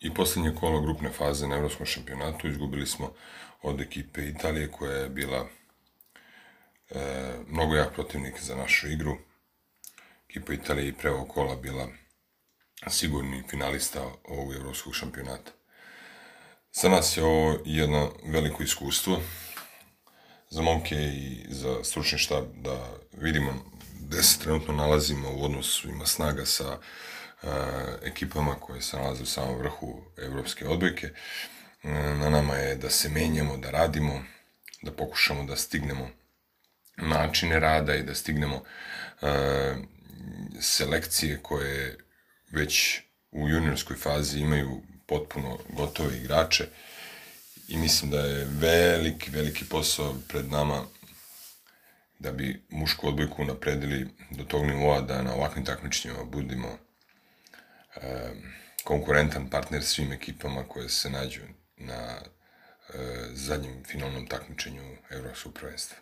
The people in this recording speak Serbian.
i posljednje kolo grupne faze na Evropskom šampionatu. Izgubili smo od ekipe Italije, koja je bila mnogo jak protivnik za našu igru. Ekipa Italije i pre ovog kola bila sigurni finalista ovog Evropskog šampionata. Za nas je ovo jedno veliko iskustvo, za momke i za stručni štab, da vidimo gde se trenutno nalazimo u odnosu snaga sa ekipama koje se nalaze u samom vrhu evropske odbojke. Na nama je da se menjamo, da radimo, da pokušamo da stignemo načine rada i da stignemo selekcije koje već u juniorskoj fazi imaju potpuno gotove igrače, i mislim da je veliki posao pred nama da bi mušku odbojku napredili do tog nivoa da na ovakvim takmičenjima budemo konkurentan partner svim ekipama koje se nađu na zadnjem finalnom takmičenju Evropskog prvenstva.